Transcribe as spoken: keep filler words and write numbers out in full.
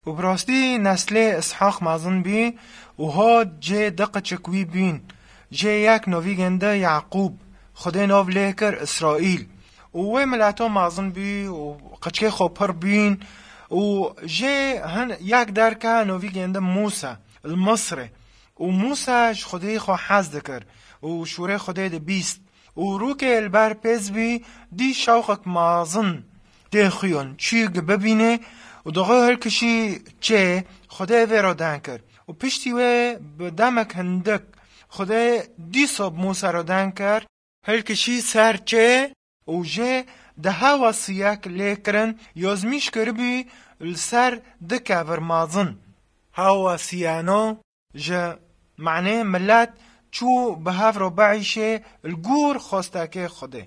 Û bi rastî neslê Îshaq mezin bî û hat cê di qiçik wî bîn. Jê yek novîgên di Yaqûb, Xwedê nav lê kir Îsraîl. Û wê mileto mezin bî û qiçkê xwe pir bîn û jê hin yek derke novîgên di Mûsa li Misrê. Û Mûsa ji Xwedê xwe hez dikir û şûrê Xwedê dibîst. Û rûkê li ber pêz bî, dî şewqek mezin tê xuyon çîk bibîne û dixwe hilkişî çê. Xwedê vê re den kir. Û piştî wê bi demek hindik Xwedê dîsa bi Mûsa re den kir. Hilkişî ser çê û jê di hewa siyek lê kirin, yazmîş kiribî li ser di kevir mezin. Hewa siyeno ji manê milet çû bi hev re biîşê li gor xwestekê Xwedê.